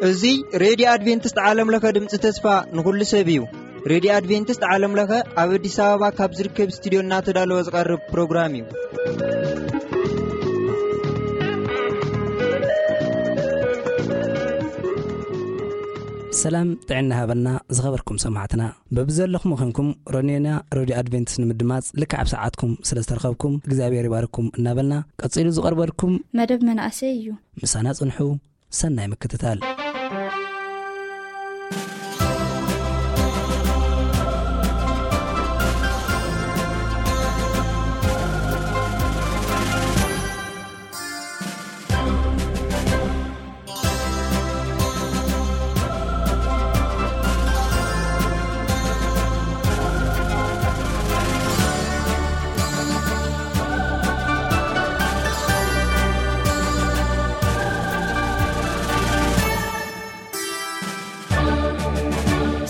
እዚ ሬድዮ ኣድቬንቲስት ዓለም ለኸ ድምፂ ተስፋ ንኹሉ ሰብ እዩ። ሬድዮ ኣድቬንቲስት ዓለም ለኸ ኣብ ኣዲስ ኣበባ ካብ ዝርከብ ስቱዲዮ እናተዳለወ ዝቐርብ ፕሮግራም እዩ። ሰላም ጥዕና ሃበና ዝኸበርኩም ሰማዕትና። በብዘለኹም ኾንኩም ሮኔና ሬድዮ ኣድቬንቲስት ንምድማፅ ልክዕ ኣብ ሰዓትኩም ስለ ዝተረኸብኩም እግዚኣብሔር ይባርኩም እናበልና፣ ቀጺሉ ዝቐርበልኩም መደብ መናእሰይ እዩ። ምሳና ጽንሑ። ሰናይ ምክትታል።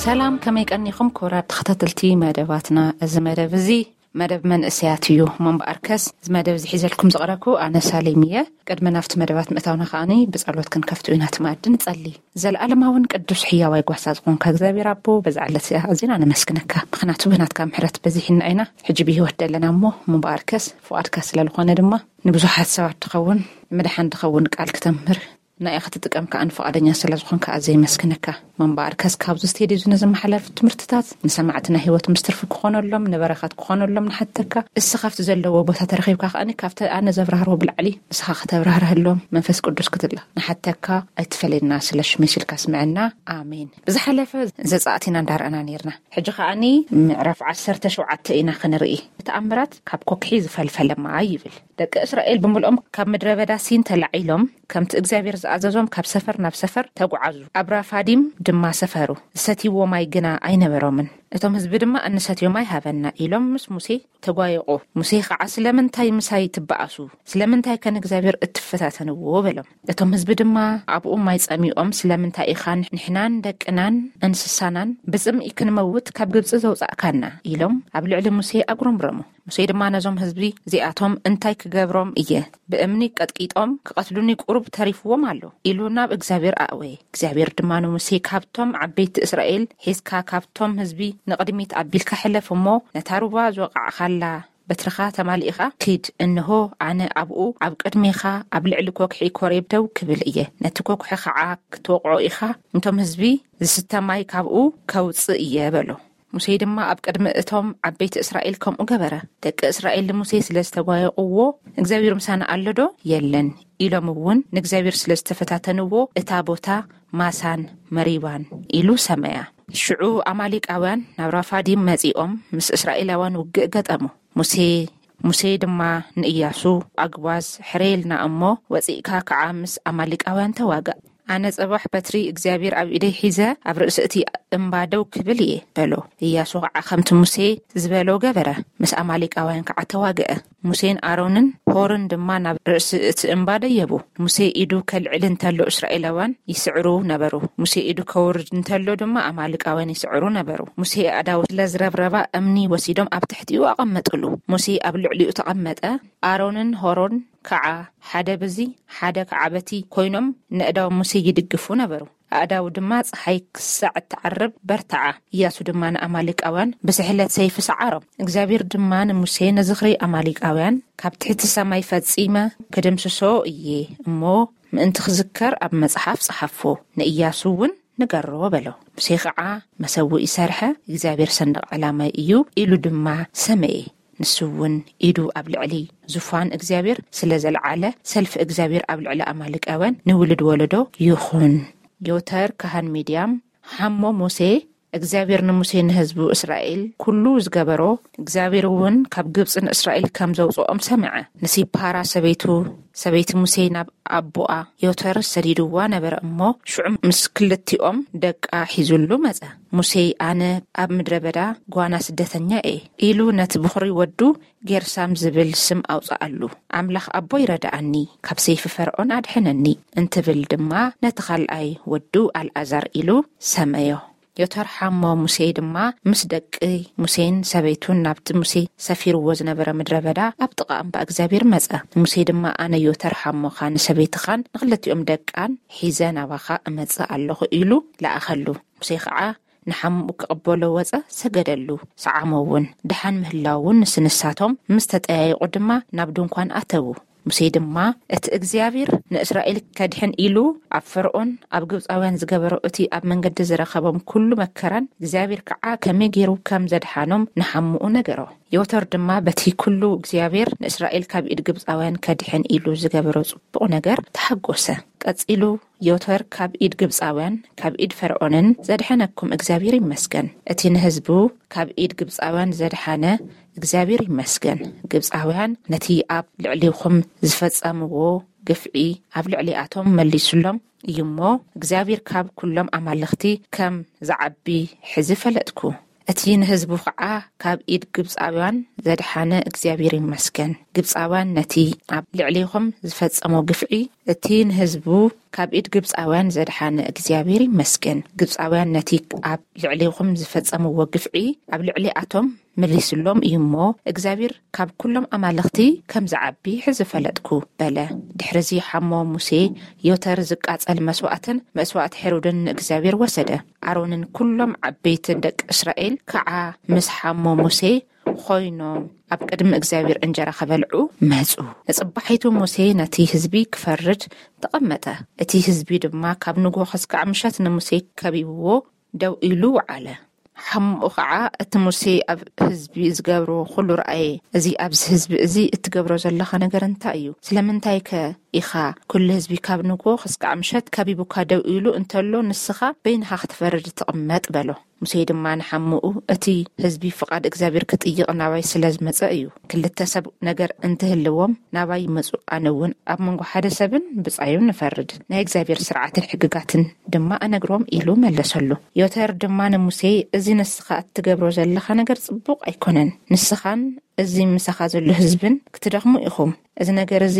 ሰላም፣ ከመይ ቀኒኹም ክቡራት ተኸታተልቲ መደባትና? እዚ መደብ እዚ መደብ መንእሰያት እዩ። እሞ እምበኣርከስ፣ እዚ መደብ እዚ ሒዘልኩም ዝቐረብኩ ኣነ ሳሌም እየ። ቅድሚ ናብቲ መደባት ምእታውና ከኣኒ ብጸሎት ክንከፍቶ ኢና። እቲ መኣዲ ንጸሊ። ዘለኣለማውን ቅዱስ ሕያዋይ ጓሳ ዝኾንካ እግዚኣብሔር ኣቦ፣ በዛ ዕለት እዚኣ ኣዚና ነመስግነካ። ምኽንያቱ ብናትካ ምሕረት በዚሕና ኢና። ሕጂ ብህይወት ደለና እሞ፣ እምበኣርከስ ፍቓድካ ስለ ዝኾነ ድማ ንብዙሓት ሰባት ትኸውን፣ ምድሓን ትኸውን ቃል ክተምህር ናይኻ ክትጥቀም ከኣ ፍቓደኛ ስለ ዝኾንካ ኣዝየ የመስግነካ። እምበኣርከስ ካብዚ ስቴድዮ እዚ ንዝመሓለፍ ትምህርትታት ንሰማዕትና ህይወት ምስ ትርፊ ክኾነሎም፣ ንበረኸት ክኾነሎም ንሓተካ። እስኻ ኣብቲ ዘለዎ ቦታ ተረኺብካ ከኣ ካብቲ ኣነ ዘብራህርዎ ብላዕሊ ንስኻ ከተብራህርህሎም መንፈስ ቅዱስ ክትላ ንሓተካ። ኣይትፈለየና ስለ ሽመይ ስልካ ስምዐና። ኣሜን። ብዝሓለፈ ዘጻእት ኢና እንዳረኣና ነይርና። ሕጂ ከኣኒ ምዕራፍ ዓሰርተ ሸውዓተ ኢና ክንርኢ። ተኣምራት ካብ ኮክሒ ዝፈልፈለ ማይ ይብል። ደቂ እስራኤል ብምልኦም ካብ ምድረ በዳ ሲን ተላዒሎም፣ ከምቲ እግዚኣብሔር ዝኣዘዞም ካብ ሰፈር ናብ ሰፈር ተጓዓዙ። ኣብ ራፋዲም ድማ ሰፈሩ። ዝሰትይዎ ማይ ግና ኣይነበሮምን። እቶም ህዝቢ ድማ፣ "እንሰትዮ ማይ ሃበና" ኢሎም ምስ ሙሴ ተጓየቑ። ሙሴ ኸዓ፣ "ስለምንታይ ምሳይ ትበኣሱ? ስለምንታይ ከ ንእግዚኣብሔር እትፈታተንዎ?" በሎም። እቶም ህዝቢ ድማ ኣብኡ ማይ ጸሚኦም፣ "ስለምንታይ ኢኻ ንሕናን ደቅናን እንስሳናን ብጽምኢ ክንመውት ካብ ግብጺ ዘውጻእካና?" ኢሎም ኣብ ልዕሊ ሙሴ ኣጉረምረሙ። ሙሴ ድማ ነዞም ህዝቢ እዚኣቶም እንታይ ክገብሮም እየ? ብእምኒ ቀጥቂጦም ክቐትሉኒ ቁሩብ ተሪፍዎም ኣሎ ኢሉ ናብ እግዚኣብሔር ኣእወየ። እግዚኣብሔር ድማ ንሙሴ፣ "ካብቶም ዓበይቲ እስራኤል ሒዝካ ካብቶም ህዝቢ ንቕድሚት ኣቢልካ ሕለፍ እሞ ነታ ሩባ ዝወቓዕካላ በትርኻ ተማሊእኻ ኪድ። እንሆ ኣነ ኣብኡ ኣብ ቅድሜኻ ኣብ ልዕሊ ኮክሒ ኮሬብ ደው ክብል እየ። ነቲ ኮክሒ ኸዓ ክትወቕዖ ኢኻ፣ ነቶም ህዝቢ ዝስተ ማይ ካብኡ ከውጽእ እየ" በሎ። ሙሴ ድማ ኣብ ቅድሚ እቶም ዓበይቲ እስራኤል ከምኡ ገበረ። ደቂ እስራኤል ንሙሴ ስለ ዝተጓየቕዎ፣ "እግዚኣብሔር ምሳና ኣሎዶ የለን?" ኢሎም እውን ንእግዚኣብሔር ስለ ዝተፈታተንዎ፣ እታ ቦታ ማሳን መሪባን ኢሉ ሰመያ። ሽዑ ኣማሌቃውያን ናብ ራፋዲም መጺኦም ምስ እስራኤላውያን ውግእ ገጠሙ። ሙሴ፣ ሙሴ ድማ ንእያሱ፣ "ኣግባዝ ሕረየልና እሞ ወጺእካ ከዓ ምስ ኣማሌቃውያን ተዋጋእ። ኣነ ጽባሕ በትሪ እግዚኣብሔር ኣብ ኢደይ ሒዘ ኣብ ርእሲ እቲ እምባ ደው ክብል እየ" በሎ። እያሱ ከዓ ከምቲ ሙሴ ዝበሎ ገበረ። ምስ ኣማሌቃውያን ከዓ ተዋግአ። ሙሴን ኣሮንን ሆርን ድማ ናብ ርእሲ እቲ እምባ ደየቡ። ሙሴ ኢዱ ከልዕል እንተሎ እስራኤላውያን ይስዕሩ ነበሩ። ሙሴ ኢዱ ከውርድ እንተሎ ድማ ኣማሌቃውያን ይስዕሩ ነበሩ። ሙሴ ኣእዳዉ ስለ ዝረብረባ እምኒ ወሲዶም ኣብ ትሕቲኡ ኣቐመጥሉ። ሙሴ ኣብ ልዕሊኡ ተቐመጠ። ኣሮንን ሆሮን ከዓ ሓደ ብዚ ሓደ ከዓ በቲ ኮይኖም ነእዳው ሙሴ ይድግፉ ነበሩ። ኣእዳው ድማ ጸሓይ ክሳዕ እትዓርብ በርትዓ። እያሱ ድማ ንኣማሌቃውያን ብስሕለት ሰይፊ ሰዓሮም። እግዚኣብሔር ድማ ንሙሴ፣ "ንዝኽሪ ኣማሌቃውያን ካብ ትሕቲ ሰማይ ፈጺመ ክድምስሶ እየ እሞ፣ ምእንቲ ክዝከር ኣብ መጽሓፍ ጸሓፎ፣ ንእያሱ እውን ንገሮ" በሎ። ሙሴ ኸዓ መሰውኢ ሰርሐ፣ "እግዚኣብሔር ሰንደቕ ዕላማይ እዩ" ኢሉ ድማ ሰመየ። ንሱ እውን ኢዱ ኣብ ልዕሊ ዙፋን እግዚኣብሔር ስለ ዘልዓለ፣ ሰልፊ እግዚኣብሔር ኣብ ልዕሊ ኣማሌቃውያን ንውሉድ ወለዶ ይኹን። ዮተር ካህን ሚድያም ሓሞ ሙሴ፣ እግዚኣብሔር ንሙሴ ንህዝቡ እስራኤል ኩሉ ዝገበሮ፣ እግዚኣብሔር እውን ካብ ግብጺ ንእስራኤል ከም ዘውጽኦም ሰምዐ። ንሲፓራ ሰበይቱ፣ ሰበይቲ ሙሴ ናብ ኣቦኣ ዮተር ሰዲድዋ ነበረ እሞ፣ ሽዑ ምስ ክልቲኦም ደቃ ሒዙሉ መጸ። ሙሴ፣ "ኣነ ኣብ ምድረ በዳ ጓና ስደተኛ እየ" ኢሉ ነቲ ብኹሪ ወዱ ጌርሳም ዝብል ስም ኣውጽኣሉ። "ኣምላኽ ኣቦይ ረድኣኒ፣ ካብ ሰይፊ ፈርዖን ኣድሐነኒ" እንትብል ድማ ነቲ ካልኣይ ወዱ ኣልኣዛር ኢሉ ሰመዮ። ዮተር ሓሞ ሙሴ ድማ ምስ ደቂ ሙሴን ሰበይቱን ናብቲ ሙሴ ሰፊርዎ ዝነበረ ምድረ በዳ ኣብ ጥቓ እምባ እግዚኣብሔር መጸ። ሙሴ ድማ፣ ኣነ ዮተር ሓሞኻ፣ ንሰበይትኻን ንኽልቲኦም ደቃን ሒዘ ናባኻ እመጽእ ኣለኹ፣ ኢሉ ለኣኸሉ። ሙሴ ኸዓ ንሓሙኡ ክቕበሎ ወጸ፣ ሰገደሉ። ሰዓሞ እውን ደሓን ምህላው እውን ንስንሳቶም ምስ ተጠያየቑ ድማ ናብ ድንኳን ኣተዉ። ሙሴ ድማ፣ እቲ እግዚኣብሔር ንእስራኤል ከድሕን ኢሉ ኣብ ፈርኦን ኣብ ግብፃውያን ዝገበሮ፣ እቲ ኣብ መንገዲ ዝረኸቦም ኩሉ መከራን እግዚኣብሔር ከዓ ከመይ ገይሩ ከም ዘድሓኖም ንሓሙኡ ነገሮ። ዮተር ድማ በቲ ኩሉ እግዚኣብሔር ንእስራኤል ካብ ኢድ ግብፃውያን ከድሕን ኢሉ ዝገበሮ ጽቡቕ ነገር ተሓጎሰ። ቀጺሉ ዮተር፣ ካብ ኢድ ግብፃውያን ካብ ኢድ ፈርኦንን ዘድሐነኩም እግዚኣብሔር ይመስገን። እቲ ንህዝቡ ካብ ኢድ ግብፃውያን ዘድሓነ እግዚኣብሔር ይመስገን። ግብፃውያን ነቲ ኣብ ልዕሊኹም ዝፈጸምዎ ግፍዒ ኣብ ልዕሊኣቶም መሊሱሎም እዩ እሞ፣ እግዚኣብሔር ካብ ኩሎም ኣማልኽቲ ከም ዝዓቢ ሕዚ ፈለጥኩ። እቲ ንህዝቡ ኸዓ ካብ ኢድ ግብፃውያን ዘድሓነ እግዚኣብሔር ይመስገን። ግብፃውያን ነቲ ኣብ ልዕሊኹም ዝፈጸሞ ግፍዒ፣ እቲ ንህዝቡ ካብ ኢድ ግብፃውያን ዘድሓነ እግዚኣብሔር ይመስገን። ግብፃውያን ነቲ ኣብ ልዕሊኹም ዝፈጸምዎ ግፍዒ ኣብ ልዕሊኣቶም መሊስሎም እዩ እሞ፣ እግዚኣብሔር ካብ ኩሎም ኣማልኽቲ ከም ዝዓቢ ሕዚ ፈለጥኩ፣ በለ። ድሕርዚ ሓሞ ሙሴ ዮተር ዝቃጸል መስዋእትን መስዋእቲ ሄሮድን ንእግዚኣብሔር ወሰደ። ኣሮንን ኩሎም ዓበይትን ደቂ እስራኤል ከዓ ምስ ሓሞ ሙሴ ኮይኖም ኣብ ቅድሚ እግዚኣብሔር እንጀራ ከበልዑ መጹ። ንጽባሒቱ ሙሴ ነቲ ህዝቢ ክፈርድ ተቐመጠ። እቲ ህዝቢ ድማ ካብ ንግሆ ክስካዕ ምሸት ንሙሴ ከቢብዎ ደው ኢሉ ወዓለ። ሓሙኡ ኸዓ፣ እቲ ሙሴ ኣብ ህዝቢ ዝገብሮ ኩሉ ረኣየ። እዚ ኣብዚ ህዝቢ እዚ እትገብሮ ዘለኻ ነገር እንታይ እዩ? ስለምንታይ ከ ኢኻ ኩሉ ህዝቢ ካብ ንግሆ ክስካዕ ምሸት ከቢቡካ ደው ኢሉ እንተሎ፣ ንስኻ በይንኻ ክትፈርድ ትቕመጥ? በሎ። ሙሴ ድማ ንሓሙኡ፣ እቲ ህዝቢ ፍቓድ እግዚኣብሔር ክጥይቕ ናባይ ስለ ዝመጸ እዩ። ክልተ ሰብ ነገር እንትህልዎም ናባይ ይመጹ፣ ኣነ እውን ኣብ መንጎ ሓደ ሰብን ብጻዩን ንፈርድ፣ ናይ እግዚኣብሔር ስርዓትን ሕግጋትን ድማ እነግሮም፣ ኢሉ መለሰሉ። ዮተር ድማ ንሙሴ፣ እዚ ንስኻ እትገብሮ ዘለኻ ነገር ጽቡቕ ኣይኮነን። ንስኻን እዚ ምሳኻ ዘሎ ህዝብን ክትደኽሙ ኢኹም። እዚ ነገር እዚ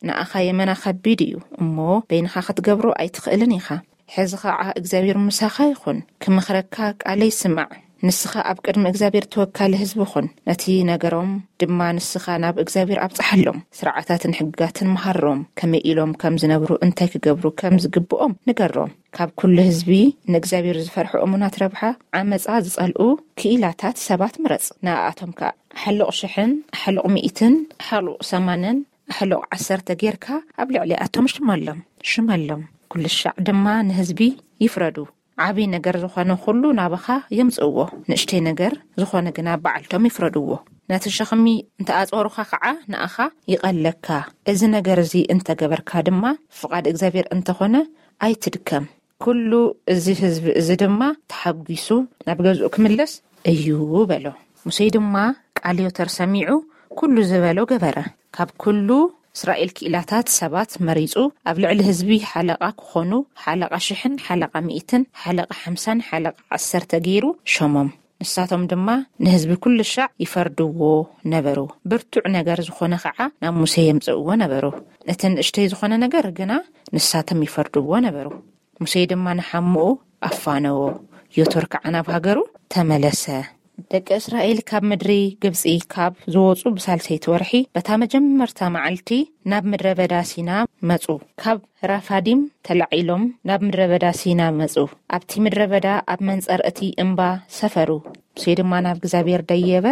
ንኣኻ የመና ከቢድ እዩ እሞ፣ በይንኻ ክትገብሮ ኣይትኽእልን ኢኻ። ሕዚ ኸዓ እግዚኣብሔር ምሳኻ ይኹን፣ ክመኽረካ ቃለይ ስማዕ። ንስኻ ኣብ ቅድሚ እግዚኣብሔር ተወካሊ ህዝቢ ኹን። ነቲ ነገሮም ድማ ንስኻ ናብ እግዚኣብሔር ኣብጽሓሎም። ስርዓታትን ሕግጋትን መሃሮም። ከመይ ኢሎም ከም ዝነብሩ፣ እንታይ ክገብሩ ከም ዝግብኦም ንገሮም። ካብ ኩሉ ህዝቢ ንእግዚኣብሔር ዝፈርሑ እሙናት ረብሓ ዓመጻ ዝጸልኡ ክኢላታት ሰባት ምረጽ። ንኣኣቶም ከኣ ሕሉቕ ሽሕን፣ ሕሉቕ ሚእትን፣ ሕሉቕ ሰማንን፣ ሕሉቕ ዓሰርተ ጌርካ ኣብ ልዕሊኣቶም ሽመሎም፣ ሽመሎም። ኩሉ ሻዕ ድማ ንህዝቢ ይፍረዱ። ዓቢ ነገር ዝኾነ ኩሉ ናባኻ የምጽእዎ፣ ንእሽተይ ነገር ዝኾነ ግና በዓልቶም ይፍረድዎ። ነቲ ሸኽሚ እንተኣጾሩኻ ኸዓ ንኣኻ ይቐለካ። እዚ ነገር እዚ እንተገበርካ ድማ ፍቓድ እግዚኣብሔር እንተኾነ ኣይትድከም። ኩሉ እዚ ህዝቢ እዚ ድማ ተሓጒሱ ናብ ገዝኡ ክምለስ እዩ በሎ። ሙሴ ድማ ቃል ዮተር ሰሚዑ ኩሉ ዝበሎ ገበረ። ካብ ኩሉ እስራኤል ክኢላታት ሰባት መሪጹ፣ ኣብ ልዕሊ ህዝቢ ሓለቓ ክኾኑ፣ ሓለቓ ሽሕን ሓለቓ ሚእትን ሓለቓ ሓምሳን ሓለቓ ዓሰርተ ገይሩ ሸሞም። ንሳቶም ድማ ንህዝቢ ኩሉ ሻዕ ይፈርድዎ ነበሩ። ብርቱዕ ነገር ዝኾነ ኸዓ ናብ ሙሴ የምጽእዎ ነበሩ። እቲ ንእሽተይ ዝኾነ ነገር ግና ንሳቶም ይፈርድዎ ነበሩ። ሙሴ ድማ ንሓሙኡ ኣፋነዎ፣ ዮቶር ከዓ ናብ ሃገሩ ተመለሰ። ደቂ እስራኤል ካብ ምድሪ ግብጺ ካብ ዝወጹ ብሳልሰይቲ ወርሒ በታ መጀመርታ መዓልቲ ናብ ምድረ በዳ ሲና መጹ። ካብ ራፋዲም ተላዒሎም ናብ ምድረ በዳ ሲና መጹ። ኣብቲ ምድረ በዳ ኣብ መንጸር እቲ እምባ ሰፈሩ። ሙሴ ድማ ናብ እግዚኣብሔር ደየበ።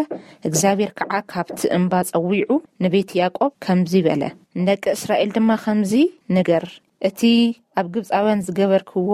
እግዚኣብሔር ከዓ ካብቲ እምባ ጸዊዑ ንቤት ያዕቆብ ከምዚ በለ፣ ንደቂ እስራኤል ድማ ከምዚ ንገር፣ እቲ ኣብ ግብጻውያን ዝገበርክዎ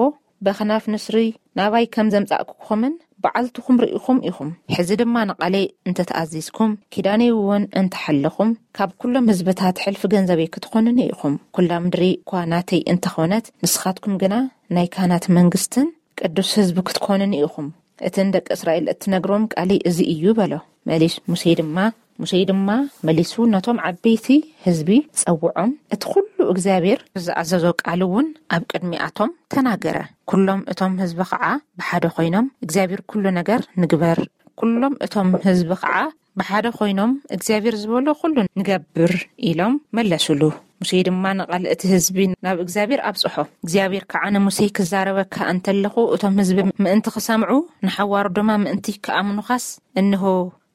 በኽናፍ ንስሪ ናባይ ከም ዘምጻእኩኹምን በዓልትኹም ርኢኹም ኢኹም። ሕዚ ድማ ንቓለይ እንተተኣዚዝኩም፣ ኪዳነይ እውን እንተሓለኹም፣ ካብ ኩሎም ህዝብታት ሕልፊ ገንዘበይ ክትኾኑኒ ኢኹም። ኩላ ምድሪ እኳ ናተይ እንተኾነት፣ ንስኻትኩም ግና ናይ ካህናት መንግስትን ቅዱስ ህዝቢ ክትኮኑኒ ኢኹም። እቲ ንደቂ እስራኤል እትነግሮም ቃለይ እዚ እዩ በሎ። መሊስ ሙሴ ድማ፣ ሙሴ ድማ መሊሱ ነቶም ዓበይቲ ህዝቢ ጸውዖም፣ እቲ ኩሉ እግዚኣብሔር ዝኣዘዞ ቃል እውን ኣብ ቅድሚኣቶም ተናገረ። ኩሎም እቶም ህዝቢ ኸዓ ብሓደ ኮይኖም፣ እግዚኣብሔር ኩሉ ነገር ንግበር፣ ኩሎም እቶም ህዝቢ ኸዓ ብሓደ ኮይኖም እግዚኣብሔር ዝበሎ ኩሉ ንገብር ኢሎም መለሱሉ። ሙሴ ድማ ንቓል እቲ ህዝቢ ናብ እግዚኣብሔር ኣብጽሖ። እግዚኣብሔር ከዓ ንሙሴ፣ ክዛረበካ እንተለኹ እቶም ህዝቢ ምእንቲ ክሰምዑ፣ ንሓዋሩ ድማ ምእንቲ ክኣምኑኻስ፣ እንሆ፣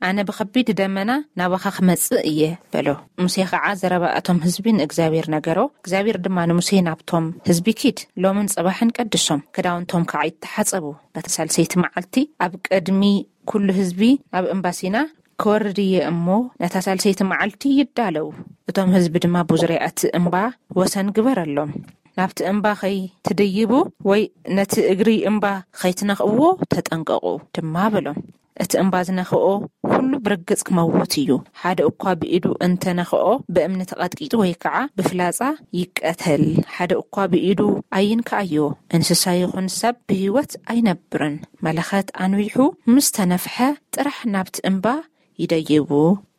ኣነ ብኸቢድ ደመና ናባኻ ክመጽእ እየ በሎ። ሙሴ ኸዓ ዘረባ እቶም ህዝቢ ንእግዚኣብሔር ነገሮ። እግዚኣብሔር ድማ ንሙሴ፣ ናብቶም ህዝቢ ኪድ፣ ሎምን ጽባሕን ቀድሶም፣ ክዳውንቶም ከዓ ይተሓጸቡ። በታ ሳልሰይቲ መዓልቲ ኣብ ቅድሚ ኩሉ ህዝቢ ናብ እምባ ሲና ክወርድ እየ እሞ፣ ነታ ሳልሰይቲ መዓልቲ ይዳለው። እቶም ህዝቢ ድማ ብዙርያ እቲ እምባ ወሰን ግበረሎም። ናብቲ እምባ ኸይትድይቡ ወይ ነቲ እግሪ እምባ ኸይትነኽእዎ ተጠንቀቑ ድማ በሎም። እቲ እምባ ዝነኽኦ ኩሉ ብርግጽ ክመውት እዩ። ሓደ እኳ ብኢዱ እንተነኽኦ ብእምኒ ተቐጥቂጡ ወይ ከዓ ብፍላጻ ይቀተል። ሓደ እኳ ብኢዱ ኣይንክኣዮ። እንስሳ ይኹን ሰብ ብህይወት ኣይነብርን። መለኸት ኣንዊሑ ምስ ተነፍሐ ጥራሕ ናብቲ እምባ ይደይቡ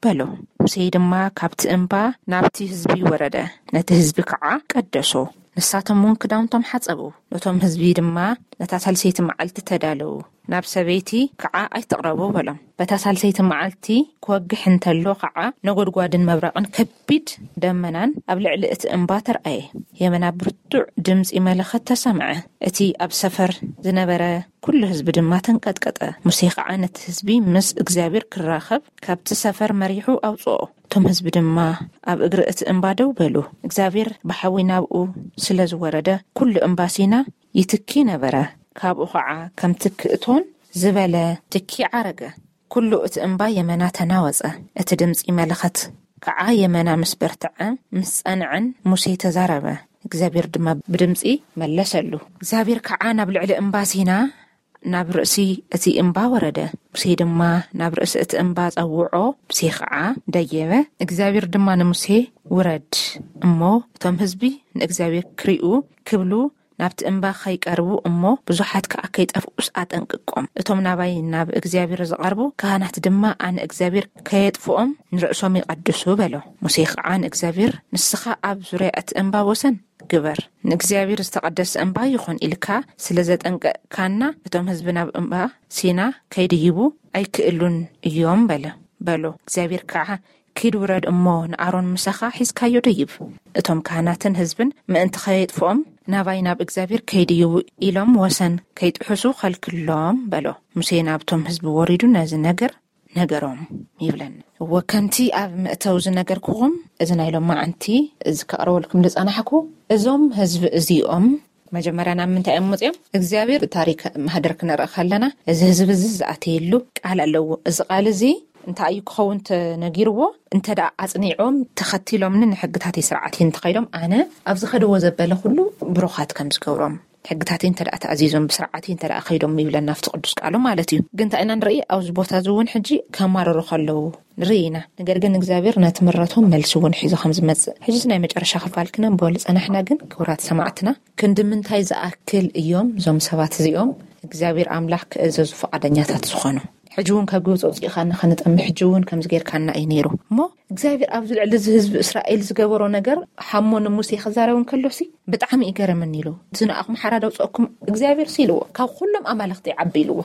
በሎ። ሙሴ ድማ ካብቲ እምባ ናብቲ ህዝቢ ወረደ፣ ነቲ ህዝቢ ከዓ ቀደሶ። ንሳቶም እውን ክዳውንቶም ሓጸቡ። ነቶም ህዝቢ ድማ፣ ነታ ሳልሰይቲ መዓልቲ ተዳለዉ፣ ናብ ሰበይቲ ከዓ ኣይትቕረቡ በሎም። በታ ሳልሰይቲ መዓልቲ ክወግሕ እንተሎ ከዓ ነጎድጓድን መብረቕን ከቢድ ደመናን ኣብ ልዕሊ እቲ እምባ ተርኣየ። የመና ብርቱዕ ድምፂ መለኸት ተሰምዐ። እቲ ኣብ ሰፈር ዝነበረ ኩሉ ህዝቢ ድማ ተንቀጥቀጠ። ሙሴ ከዓ ነቲ ህዝቢ ምስ እግዚኣብሔር ክራኸብ ካብቲ ሰፈር መሪሑ ኣውፅኦ። እቶም ህዝቢ ድማ ኣብ እግሪ እቲ እምባ ደው በሉ። እግዚኣብሔር ብሓዊ ናብኡ ስለ ዝወረደ ኩሉ እምባ ሲና ይትኪ ነበረ። ካብኡ ከዓ ከም ትኪ እቶን ዝበለ ትኪ ዓረገ። ኩሉ እቲ እምባ የመና ተናወጸ። እቲ ድምፂ መለኸት ከዓ የመና ምስ በርትዐ ምስ ጸንዐን ሙሴ ተዛረበ። እግዚኣብሔር ድማ ብድምፂ መለሰሉ። እግዚኣብሔር ከዓ ናብ ልዕሊ እምባ ሲና ናብ ርእሲ እቲ እምባ ወረደ። ሙሴ ድማ ናብ ርእሲ እቲ እምባ ጸውዖ፣ ሙሴ ከዓ ደየበ። እግዚኣብሔር ድማ ንሙሴ፣ ውረድ እሞ እቶም ህዝቢ ንእግዚኣብሔር ክሪኡ ክብሉ ናብቲ እምባ ከይቀርቡ እሞ ብዙሓት ከዓ ከይጠፍኡስ ኣጠንቅቆም። እቶም ናባይ ናብ እግዚኣብሔር ዝቐርቡ ካህናት ድማ ኣነ እግዚኣብሔር ከየጥፍኦም ንርእሶም ይቐድሱ በሎ። ሙሴ ከዓ ንእግዚኣብሔር፣ ንስኻ ኣብ ዙርያ እቲ እምባ ወሰን ግበር፣ ንእግዚኣብሔር ዝተቐደሰ እምባ ይኹን ኢልካ ስለ ዘጠንቀቅካና እቶም ህዝቢ ናብ እምባ ሲና ከይድይቡ ኣይክእሉን እዮም በለ በሎ። እግዚኣብሔር ከዓ ኪድ ውረድ እሞ ንኣሮን ምሳኻ ሒዝካዮ ደይብ። እቶም ካህናትን ህዝብን ምእንቲ ኸየጥፍኦም ናባይ ናብ እግዚኣብሔር ከይድይቡ ኢሎም ወሰን ከይጥሕሱ ኸልክሎም በሎ። ሙሴ ናብቶም ህዝቢ ወሪዱ ነዚ ነገር ነገሮም ይብለኒ። እወ ከምቲ ኣብ መእተው ዝነገርኩኹም እዚ ናይ ሎማዓንቲ እዚ ከቕርበልኩም ዝጸናሕኩ እዞም ህዝቢ እዚኦም መጀመርያ ናብ ምንታይ እዮም መፅኦም? እግዚኣብሔር ታሪክ ማህደር ክንርኢ ከለና እዚ ህዝቢ እዚ ዝኣተየሉ ቃል ኣለዎ። እዚ ቃል እዚ እንታይ እዩ ክኸውን ተነጊርዎ? እንተ ደኣ ኣጽኒዖም ተኸቲሎምኒ ንሕግታተይ ስርዓተይ እንተኸይዶም ኣነ ኣብ ዝኸድዎ ዘበለ ኩሉ ብሩኻት ከም ዝገብሮም ሕግታተይ እንተ ደኣ ተኣዚዞም ብስርዓተይ እንተ ደኣ ከይዶም ይብለና ኣብቲ ቅዱስ ቃሉ ማለት እዩ። ግን እንታይ ኢና ንርኢ? ኣብዚ ቦታ እዚ እውን ሕጂ ከማርሩ ከለዉ ንርኢ ኢና። ነገር ግን እግዚኣብሔር ነቲ ምረቶም መልሲ እውን ሒዞ ከም ዝመጽእ ሕጂ ናይ መጨረሻ ክፋል ክነንብበሉ ጸናሕና። ግን ክቡራት ሰማዕትና ክንዲ ምንታይ ዝኣክል እዮም እዞም ሰባት እዚኦም እግዚኣብሔር ኣምላኽ ክእዘዙ ፈቓደኛታት ዝኾኑ? ሕጂ እውን ካብ ግብፂ ኣውፂእኻና ከነጠምእ ሕጂ እውን ከምዚ ጌርካና እዩ ነይሩ። እሞ እግዚኣብሔር ኣብዚ ልዕሊ እዚ ህዝቢ እስራኤል ዝገበሮ ነገር ሓሞ ንሙሴ ክዛረብ እንከሎሲ ብጣዕሚ እዩ ገረመኒ ኢሉ። እዚ ንኣኹም ሓራ ደውፀኩም እግዚኣብሔር ሲ ኢልዎ፣ ካብ ኩሎም ኣማልኽቲ ይዓቢ ኢልዎ።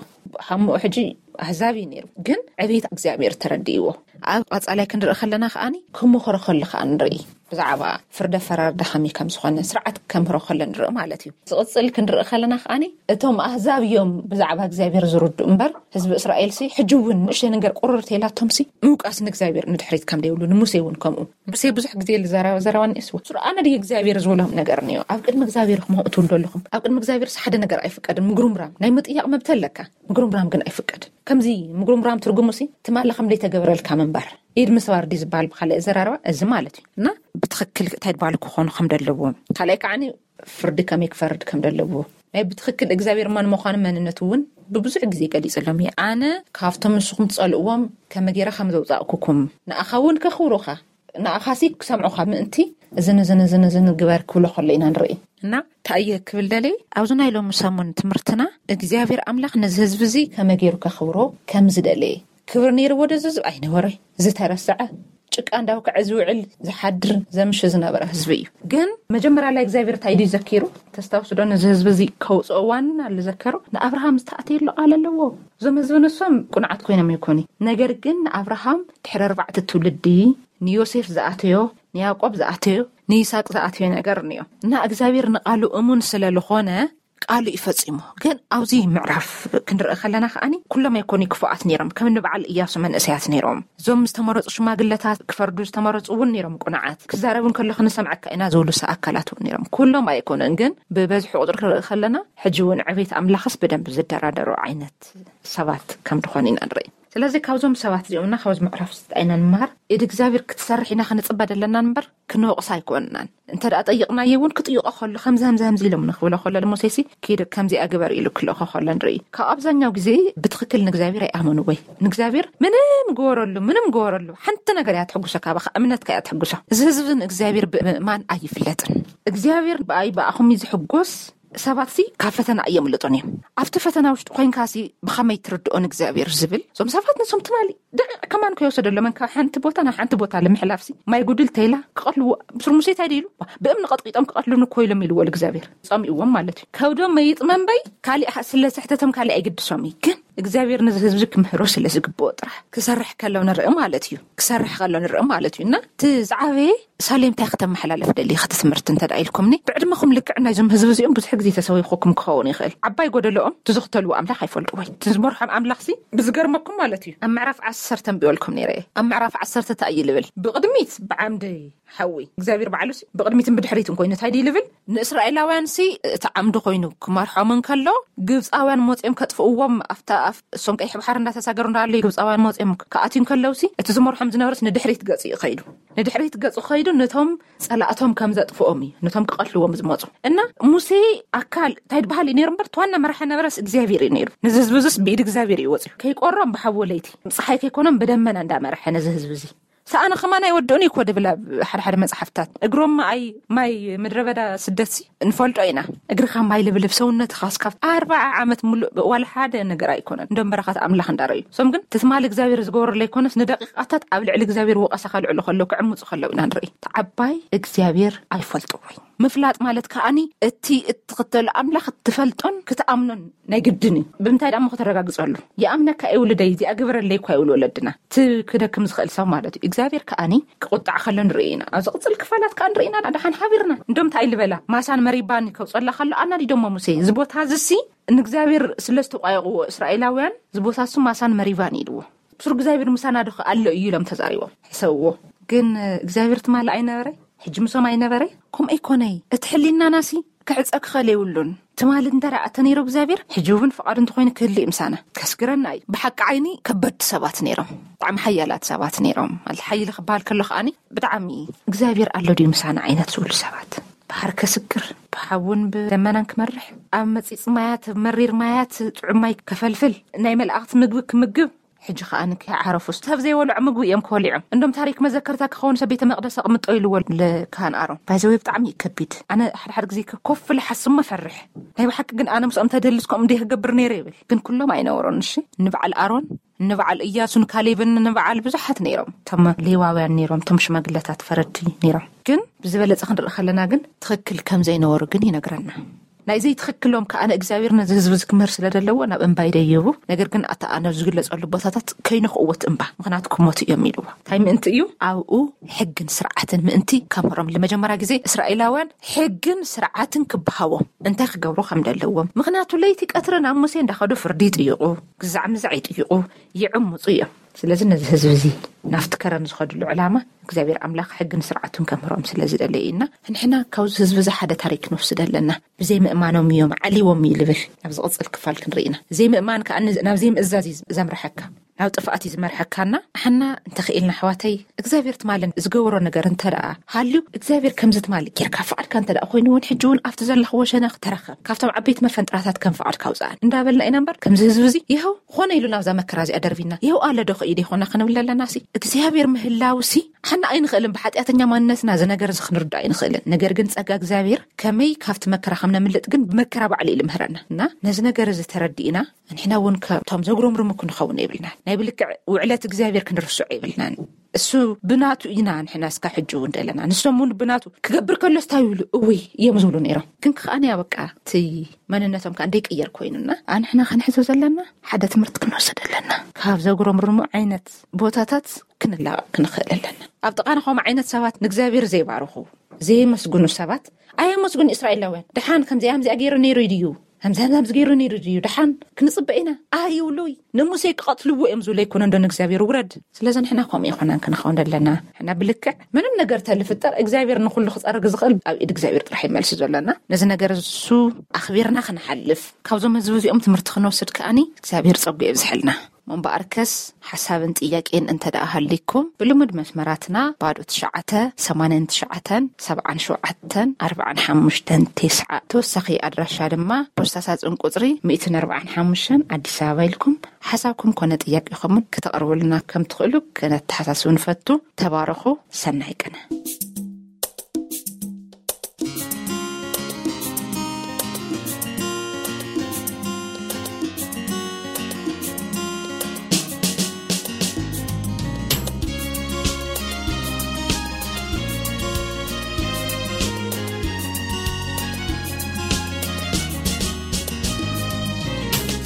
ሓሞ ሕጂ ኣህዛብ እዩ ነይሩ፣ ግን ዕቤት እግዚኣብሔር ተረዲእዎ። ኣብ ቐፃላይ ክንርኢ ከለና ከዓኒ ክምኽሮ ከሎ ከዓ ንርኢ። ብዛዕባ ፍርደ ፈራርዳ ከመይ ከም ዝኾነ ስርዓት ከምህሮ ከሎ ንርኢ ማለት እዩ። ዝቕፅል ክንርኢ ከለና ከዓኒ እቶም ኣህዛብ እዮም ብዛዕባ እግዚኣብሔር ዝርድኡ እምበር ህዝቢ እስራኤል ሲ ሕጂ እውን ንእሽተይ ነገር ቁርር ተይላቶም ሲ ምውቃስ ንእግዚኣብሔር ንድሕሪት ከም ደይብሉ ንሙሴ እውን ከምኡ። ሙሴ ብዙሕ ግዜ ዝዘረባ ዘረባ ንእስዎ ስሩ ኣነ ድየ እግዚኣብሔር ዝብሎም ነገር እኒኦ። ኣብ ቅድሚ እግዚኣብሔር ክመውእ ትብሉ ኣለኹም። ኣብ ቅድሚ እግዚኣብሔር ሲ ሓደ ነገር ኣይፍቀድን። ምጉርምራም ናይ ምጥያቕ መብት ኣለካ። ምጉርምራም ግን ኣይፍቀድ። ከምዚ ምጉርምራም ትርጉሙ ሲ ትማሊ ከም ዘይተገበረልካ ምንባር። ኢድ ምስባር ድዩ ዝበሃል ብኻልእ ዘራርባ እዚ ማለት እዩ። እና ብትኽክል እንታይ ዝበሃሉ ክኾኑ ከም ደለዎም ካልኣይ ከዓኒ ፍርዲ ከመይ ክፈርድ ከም ደለዎ ናይ ብትኽክል እግዚኣብሔር መን ምዃኑ መንነቱ እውን ብብዙሕ ግዜ ገሊፅሎም እየ። ኣነ ካብቶም ንስኹም ትፀልእዎም ከመ ገይረ ከም ዘውፃእኩኩም ንኣኻ እውን ከኽብሩኻ ንኣኻሲ ክሰምዑኻ ምእንቲ እዝን እዝን እዝን እዝን ግበር ክብሎ ከሎ ኢና ንርኢ። እና እንታይ እየ ክብል ደለየ ኣብዚ ናይ ሎሚ ሰሙን ትምህርትና እግዚኣብሔር ኣምላኽ ነዚ ህዝቢ እዚ ከመ ገይሩ ከኽብሮ ከም ዝደለየ ክብሪ ነይርዎ ዶ ዝህዝብ ኣይነበረ ዝተረስዐ ጭቃ እንዳውከዐ ዝውዕል ዝሓድር ዘምሽ ዝነበረ ህዝቢ እዩ። ግን መጀመርያ ላይ እግዚኣብሔር እንታይ ድዩ ዘኪሩ ተስታውስዶ ነዚ ህዝቢ እዚ ከውፅኦ ዋና ዝዘከሮ ንኣብርሃም ዝተኣተየሉ ቃል ኣለዎ። እዞም ህዝቢ ንሶም ቁንዓት ኮይኖም ይኮኒ ነገር ግን ንኣብርሃም ድሕሪ ኣርባዕተ ትውልዲ ንዮሴፍ ዝኣተዮ ንያዕቆብ ዝኣተዮ ንይስሐቅ ዝኣትዮ ነገር እኒኦ። እና እግዚኣብሔር ንቃሉ እሙን ስለ ዝኾነ ቃሉ ይፈጺሞ። ግን ኣብዚ ምዕራፍ ክንርኢ ከለና ከኣኒ ኩሎም ኣይኮኑ ክፉኣት ነይሮም። ከም ንበዓል እያሱ መንእሰያት ነይሮም። እዞም ዝተመረጹ ሽማግለታት ክፈርዱ ዝተመረጹ እውን ነይሮም። ቁንዓት ክዛረቡ እንከሎ ክንሰምዐካ ኢና ዝብሉ ኣካላት እውን ነይሮም። ኩሎም ኣይኮኑን፣ ግን ብበዝሒ ቁጥሪ ክንርኢ ከለና ሕጂ እውን ዕቤት ኣምላኽስ ብደንብ ዝደራደሩ ዓይነት ሰባት ከም ዝኾኑ ኢና ንርኢ። ስለዚ ካብዞም ሰባት እዚኦምና ካብዚ ምዕራፍ ዝጣይና ንመሃር። ኢድ እግዚኣብሔር ክትሰርሕ ኢና ክንጽበ ደለና እምበር ክንወቕሳ ኣይኮንናን። እንተ ደኣ ጠይቕናዮ እውን ክጥይቆ ከሎ ከምዚ ከምዚ ከምዚ ኢሎም ንክብሎ ከሎ ንሙሴሲ ኪድ ከምዚኣ ግበር ኢሉ ክልእኮ ከሎ ንርኢ። ካብ ኣብዛኛው ግዜ ብትኽክል ንእግዚኣብሔር ኣይኣመኑ ወይ ንእግዚኣብሔር ምንም ግበረሉ ምንም ግበረሉ ሓንቲ ነገር እያ ትሕጉሶ፣ ካባኻ እምነትካ እያ ትሕጉሶ። እዚ ህዝቢ ንእግዚኣብሔር ብምእማን ኣይፍለጥን። እግዚኣብሔር ብኣይ ብኣኹም እዩ ዝሕጎስ። ሰባት ሲ ካብ ፈተና እየምልጡን እዮም። ኣብቲ ፈተና ውሽጢ ኮይንካ ሲ ብኸመይ ትርድኦ ንእግዚኣብሔር ዝብል እዞም ሰባት ንሶም ትማሊ ደቂቕ ከማን ከይወሰደሎም እንካ ሓንቲ ቦታ ናብ ሓንቲ ቦታ ንምሕላፍ ሲ ማይ ጉድል ተይላ ክቐልዎ ብስር ሙሴ እንታይ ኢሉ ብእምኒ ቀጥቂጦም ክቐትሉን እኮ ኢሎም ኢልዎ እግዚኣብሔር ጸሚእዎም ማለት እዩ። ከብዶም መይጥመንበይ ካሊእ ስለ ስሕተቶም ካሊእ ኣይግድሶም እዩ። ግን እግዚኣብሔር ነዚ ህዝቢ ክምህሮ ስለ ዝግብኦ ጥራሕ ክሰርሕ ከሎ ንርኢ ማለት እዩ። ክሰርሕ ከሎ ንርኢ ማለት እዩ። እና እቲ ዝዓበየ ሳሌም እንታይ ከተመሓላልፍ ደሊ ከቲ ትምህርቲ እንተ ደኣ ኢልኩምኒ፣ ብዕድመኹም ልክዕ ናይዞም ህዝቢ እዚኦም ብዙሕ ግዜ ተሰዊኹኩም ክኸውን ይኽእል። ዓባይ ጎደሎኦም ትዝኽተልዎ ኣምላኽ ኣይፈልጡ ወይ ትዝመርሖም ኣምላኽ ሲ ብዝገርመኩም ማለት እዩ። ኣብ ምዕራፍ ዓሰርተ ንብበልኩም ነይረ እየ። ኣብ ምዕራፍ ዓሰርተ እንታይ እዩ ልብል? ብቕድሚት ብዓምዲ ሓዊ እግዚኣብሔር ባዕሉ ሲ ብቕድሚትን ብድሕሪትን ኮይኑ እንታይ ድዩ ልብል? ንእስራኤላውያን ሲ እቲ ዓምዲ ኮይኑ ክመርሖም እንከሎ ግብፃውያን መፂኦም ከጥፍእዎም ኣብታ ኣፍ እሶም ቀይሕ ባሕር እንዳተሳገሩ እንዳሃለዩ ግብፃውያን መፂኦም ክኣትዩ እንከለው ሲ እቲ ዝመርሖም ዝነበረስ ንድሕሪት ገፂ እዩ ከይዱ። ንድሕሪት ገፁ ከይዱ ነቶም ጸላእቶም ከም ዘጥፍኦም እዩ፣ ነቶም ክቐትልዎም ዝመፁ። እና ሙሴ ኣካል እንታይ ዝበሃል እዩ ነይሩ እምበር እቲ ዋና መራሒ ነበረስ እግዚኣብሔር እዩ ነይሩ። ነዚ ህዝቢ እዚስ ብኢድ እግዚኣብሔር እዩ ወፅዩ። ከይቆሮም ብሓዊ ለይቲ፣ ፀሓይ ከይኮኖም ብደመና እንዳመርሐ ነዚ ህዝቢ እዚ ሰኣነ ከማን ኣይወድኡን እዩ እኮ ድብል ኣብ ሓደ ሓደ መፅሓፍታት። እግሮም ኣይ ማይ ምድረ በዳ ስደት ሲ እንፈልጦ ኢና። እግርኻ ማይ ልብልብ ሰውነትኻ እስካብ ኣርባዓ ዓመት ሙሉእ ዋላ ሓደ ነገር ኣይኮነን። እንደም በረኻት ኣምላኽ እንዳረዩ እሶም ግን ትትማል እግዚኣብሔር ዝገበረሉ ኣይኮነስ ንደቂቃታት ኣብ ልዕሊ እግዚኣብሔር ወቐሳ ከልዕሉ ከለዉ ክዕምፁ ከለዉ ኢና ንርኢ። ተዓባይ እግዚኣብሔር ኣይፈልጥዎ እዩ። ምፍላጥ ማለት ከኣኒ እቲ እትኽተሉ ኣምላኽ ትፈልጦን ክትኣምኖን ናይ ግድን እዩ። ብምንታይ ደሞ ከተረጋግፀሉ? ይኣምነካ እየ ውልደይ እዚኣ ግበረለይ እኳ ይብሉ ወለድና። እቲ ክደክም ዝኽእል ሰብ ማለት እዩ። እግዚኣብሔር ከኣኒ ክቁጣዕ ከሎ ንርኢ ኢና። ኣብ ዝቕፅል ክፋላት ከኣ ንርኢ ኢና። ደሓን ሓቢርና እንዶም እንታይ ልበላ ማሳን መሪባን ከውፀላ ከሎ ኣናዲዶሞ ሙሴ እዚ ቦታ ዝሲ ንእግዚኣብሔር ስለ ዝተቋየቕዎ እስራኤላውያን እዚ ቦታ እሱ ማሳን መሪባን ኢልዎ። ብሱር እግዚኣብሔር ምሳና ዶ ኣሎ እዩ ኢሎም ተዛሪቦም ሕሰብዎ። ግን እግዚኣብሔር ትማሊ ኣይነበረ ሕጂ ምሶም ኣይነበረ። ከምኡ ኣይኮነይ እቲ ሕሊናናሲ ክዕፀ ክኸል የብሉን። ትማሊ እንተ ደኣ ተነይሩ እግዚኣብሔር ሕጂ እውን ፍቓዱ እንተኮይኑ ክህልእ ምሳና ከስግረና እዩ። ብሓቂ ዓይኒ ከበድቲ ሰባት ነይሮም፣ ብጣዕሚ ሓያላት ሰባት ነይሮም። ማለት ሓይሊ ክበሃል ከሎ ከኣኒ ብጣዕሚ እግዚኣብሔር ኣሎ ድዩ ምሳና ዓይነት ዝብሉ ሰባት ባሕር ከስግር ብሓውን ብደመናን ክመርሕ ኣብ መፂፅ ማያት መሪር ማያት ጥዑም ማይ ከፈልፍል ናይ መላእክት ምግቢ ክምግብ ሕጂ ከኣ ንከይዓረፉ ሰብ ዘይበልዖ ምግቢ እዮም ክበልዖም። እንዶም ታሪክ መዘከርታ ክኸውን ሰብ ቤተ መቅደስ ኣቕምጦ ኢልዎ ልካህን ኣሮን ባይዘወይ ብጣዕሚ እዩ ከቢድ። ኣነ ሓደ ሓደ ግዜ ኮፍ ኢለ ሓስሞ ፈርሕ ናይ ብሓቂ ግን ኣነ ምስኦም ተደልስ ከምኡ እንደ ክገብር ነይረ ይብል። ግን ኩሎም ኣይነበሮን። እሺ ንበዓል ኣሮን ንበዓል እያሱን ካሌብን ንበዓል ብዙሓት ነይሮም። እቶም ሌዋውያን ነይሮም፣ እቶም ሽማግለታት ፈረድቲ ነይሮም። ግን ብዝበለፀ ክንርኢ ከለና ግን ትኽክል ከም ዘይነበሩ ግን ይነግረና። ናይ ዘይትኽክሎም ከኣ ንእግዚኣብሔር ነዚ ህዝቢ እዚ ክምህር ስለ ዘለዎ ናብ እምባ ይደይቡ። ነገር ግን ኣታ ኣነ ዝግለጸሉ ቦታታት ከይነኽእዎት እምባ ምኽንያቱ ክሞቱ እዮም ኢልዎ። እንታይ ምእንቲ እዩ? ኣብኡ ሕግን ስርዓትን ምእንቲ ከምህሮም ንመጀመርያ ግዜ እስራኤላውያን ሕግን ስርዓትን ክበሃዎም እንታይ ክገብሩ ከም ዘለዎም። ምኽንያቱ ለይቲ ቀትሪ ናብ ሙሴ እንዳኸዱ ፍርዲ ይጥይቑ፣ ግዛዕ ምዛዕ ይጥይቑ፣ ይዕምፁ እዮም። ስለዚ ነዚ ህዝቢ እዚ ናብቲ ከረን ዝኸድሉ ዕላማ እግዚኣብሔር ኣምላኽ ሕግን ስርዓቱን ከምህሮም ስለ ዝደለየ ኢና። ንሕና ካብዚ ህዝቢ እዚ ሓደ ታሪክ ክንወስድ ኣለና። ብዘይ ምእማኖም እዮም ዓሊዎም እዩ ልብል። ናብ ዝቕፅል ክፋል ክንርኢ ኢና። ዘይምእማን ከዓ ናብ ዘይምእዛዝ እዩ ዘምርሐካ፣ ናብ ጥፍኣት እዩ ዝመርሐካና። ንሕና እንተኽኢልና ኣሕዋተይ እግዚኣብሔር ትማልን ዝገበሮ ነገር እንተ ደኣ ሃልዩ እግዚኣብሔር ከምዚ ትማሊ ጌርካ ፍቓድካ እንተ ደኣ ኮይኑ እውን ሕጂ እውን ኣብቲ ዘለኽዎ ሸነኽ ተረኸብ። ካብቶም ዓበይቲ መፈንጥራታት ከም ፍቓድካ ኣውፅኣን እንዳበልና ኢና እምበር ከምዚ ህዝቢ እዚ ይኸው ኾነ ኢሉ ናብዛ መከራ እዚኣ ደርቢና ይኸው ኣለ ዶ ኸኢድ ይኾና ክንብል ኣለና ሲ እግዚኣብሔር ምህላው ሲ ሓና ኣይንኽእልን። ብሓጢኣተኛ ማንነትና እዚ ነገር እዚ ክንርዳእ ኣይንኽእልን። ነገር ግን ጸጋ እግዚኣብሔር ከመይ ካብቲ መከራ ከም ነምልጥ ግን ብመከራ ባዕሉ እዩ ልምህረና። እና ነዚ ነገር እዚ ተረዲእና ንሕና እውን ከምቶም ዘጉረምርሙ ክንኸውን የብልና። ናይ ብልክዕ ውዕለት እግዚኣብሔር ክንርስዖ የብልናን። እሱ ብናቱ ኢና ንሕና እስካ ሕጂ እውን ደለና። ንሶም እውን ብናቱ ክገብር ከሎ ስታይ ይብሉ እውይ እዮም ዝብሉ ነይሮም። ግን ከኣኒ በቃ እቲ መንነቶም ከዓ እንደይቅየር ኮይኑና ኣንሕና ክንሕዞ ዘለና ሓደ ትምህርቲ ክንወስድ ኣለና። ካብ ዘጉረምርሙ ዓይነት ቦታታት ክንላቐቕ ክንኽእል ኣለና። ኣብ ጥቓና ከምኡ ዓይነት ሰባት ንእግዚኣብሔር ዘይባርኹ ዘየመስግኑ ሰባት ኣየመስግኑ። እስራኤላውያን ደሓን ከምዚኣ ከምዚኣ ገይሩ ነይሩ ድዩ? ከምዚ ከምዚ ገይሩ ነይሩ ድዩ? ደሓን ክንጽበ ኢና ኣይብሉይ። ንሙሴ ክቐትልዎ እዮም ዝብሉ ኣይኮነ እንዶ ንእግዚኣብሔር ውረድ። ስለዚ ንሕና ከምኡ ይኮናን ክንኸውን ኣለና። ሕና ብልክዕ ምንም ነገር ተልፍጠር እግዚኣብሔር ንኩሉ ክጸርግ ዝኽእል ኣብ ኢድ እግዚኣብሔር ጥራሕ ይመልሲ ዘለና። ነዚ ነገር እሱ ኣኽቢርና ክንሓልፍ ካብዞም ህዝቢ እዚኦም ትምህርቲ ክንወስድ ከኣኒ እግዚኣብሔር ጸጉ የብዝሐልና። ምንበኣርከስ ሓሳብን ጥያቄን እንተ ደኣ ሃሊኩም ብልሙድ መስመራትና ባዶ ትሽዓተ ሰማንያን ትሽዓተን ሰብዓን ሸውዓተን ኣርብዓን ሓሙሽተን ተስዓ፣ ተወሳኺ ኣድራሻ ድማ ፖስታ ሳጽን ቁጽሪ ሚእትን ኣርብዓን ሓሙሽተን ኣዲስ ኣበባ ኢልኩም ሓሳብኩም ኮነ ጥያቄኹምን ክተቕርቡልና ከም ትኽእሉ ክነተሓሳስብ ንፈቱ። ተባረኹ። ሰናይ ቅነ።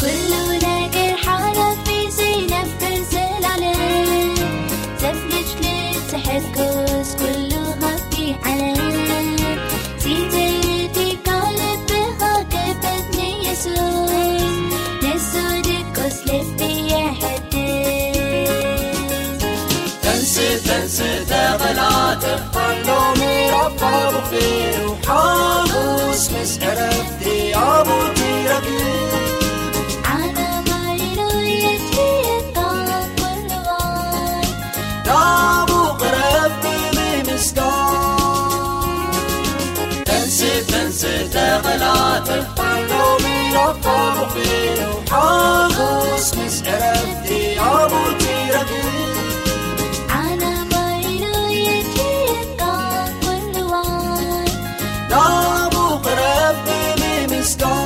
ኩሉ ነገር ሓላፊ ዘይነብር ዘላለም ዘፍልጭ ክትሕጎስ ኩሉ ሃብቲ ዓለም ሲትርቲካ ልብኻ ክፈት ንየሱስ ንሱ ድቁስ ልቢ የሐድስ። ተንስ ተንስ ተቐላጠፍ ኣሎሚ ራፋ ብኽፊሉ ሓሙስ ምስ ዕረፍቲ ኣቡቲ ረኪብ ዓለማይሉ የትየካ ኩልዋይ ዳቡ ቅረብ ብምምስጋን ተንስ ተንስ ተቐላጠፍ ኣሎሚ ራፋ ብኽፊሉ ሓሙስ ምስ ዕረፍቲ ኣቡቲ ረኪብ ዓለማይሉ የትየካ ኩልዋይ ዳቡ ቅረብ ብምምስጋን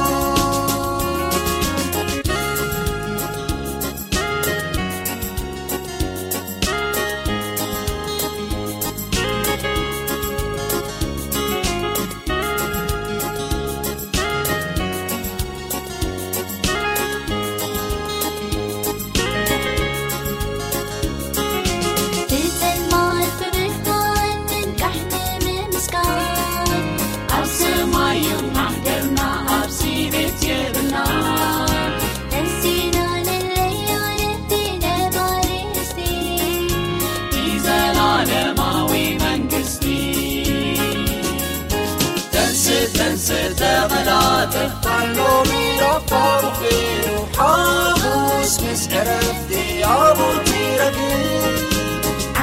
ተንስ ተንስ ተቐላጠፍ ኣሎሚ ራፋ ብኽፊሉ ሓሙስ ምስ ዕረፍቲ ኣቡቲ ረኪብ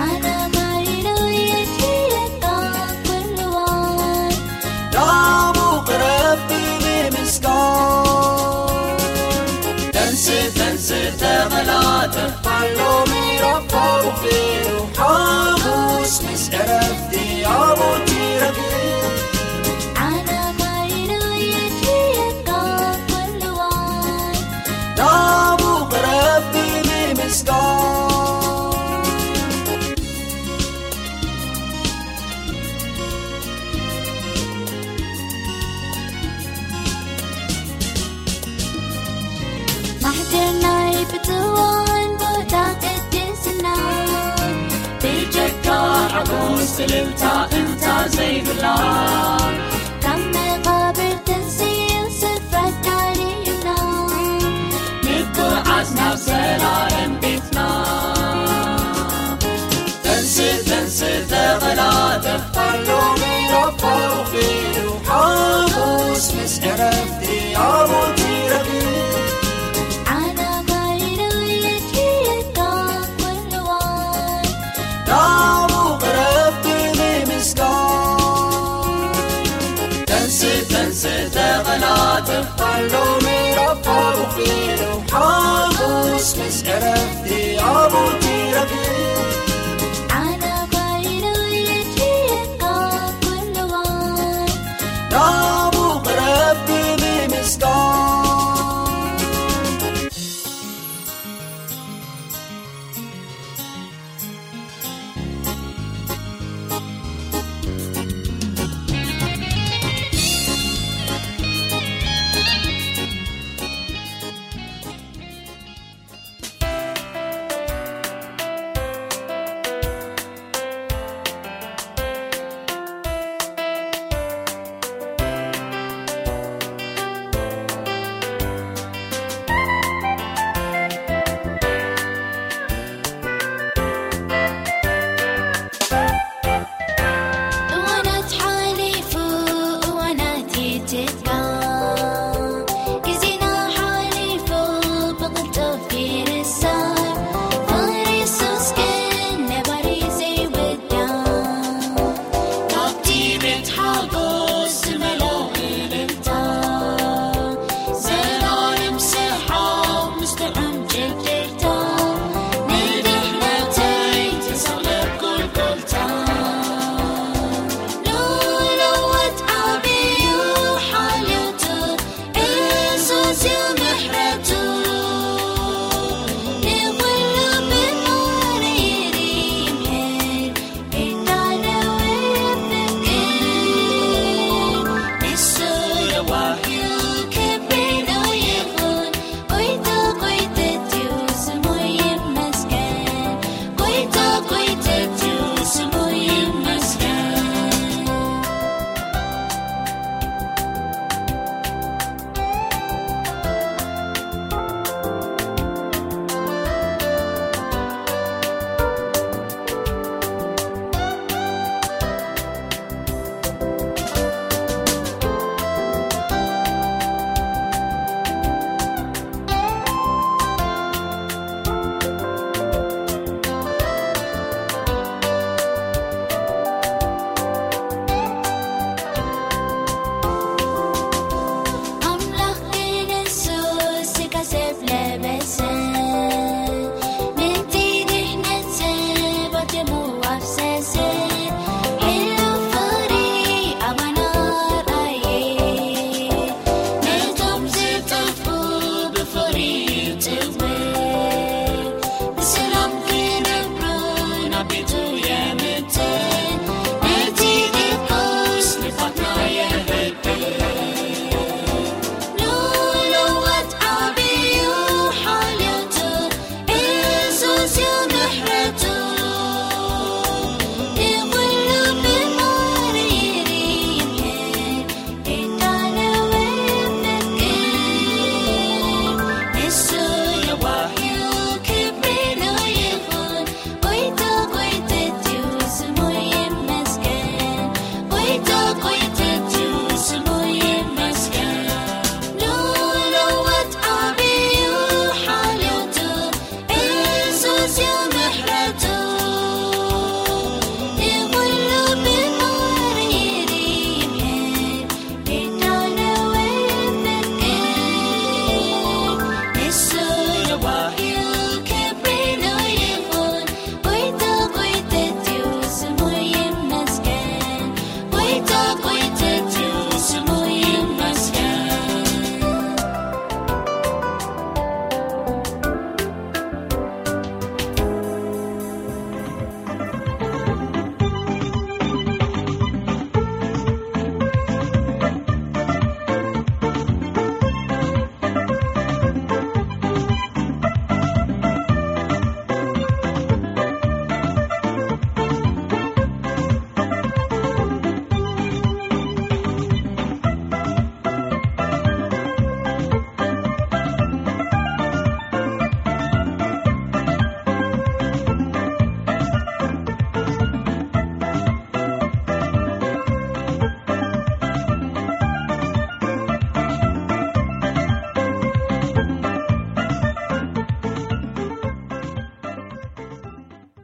ዓለማይሉ የትየካ ኩልዋይ ዳቡ ቅረብ ብምምስጋን ተንስ ተንስ ተቐላጠፍ ኣሎሚ ራፋ ብኽፊሉ ሓሙስ ምስ ዕረፍቲ ኣቡቲ ረኪብ ዓለማይሉ የትየካ ኩልዋይ ዳቡ ቅረብ ብምምስጋን ማሕደር ናይ ብፅዋን ቦታ ቅድስና ብጀካ ሓጎስ እልልታ እንታ ዘይብላ ካብ መቓብር ተንስኡ ስፍራ ካሊእና ንጉዓዝ ናብ ዘላለም ቤትና ተንስ ተንስ ተቐላጠፍ ኣሎሚ ራፋ ብኽፊሉ ሓሙስ ምስ ዕረፍቲ ኣቡቲ ረኪብ ዓለማይሉ የትየካ ኩልዋይ ዳቡ ቅረብ ብምምስጋን ተንስ ተንስ ተቐላጠፍ ኣሎሚ ራፋ ብኽፊሉ ሓሙስ ምስ ዕረፍቲ ኣቡቲ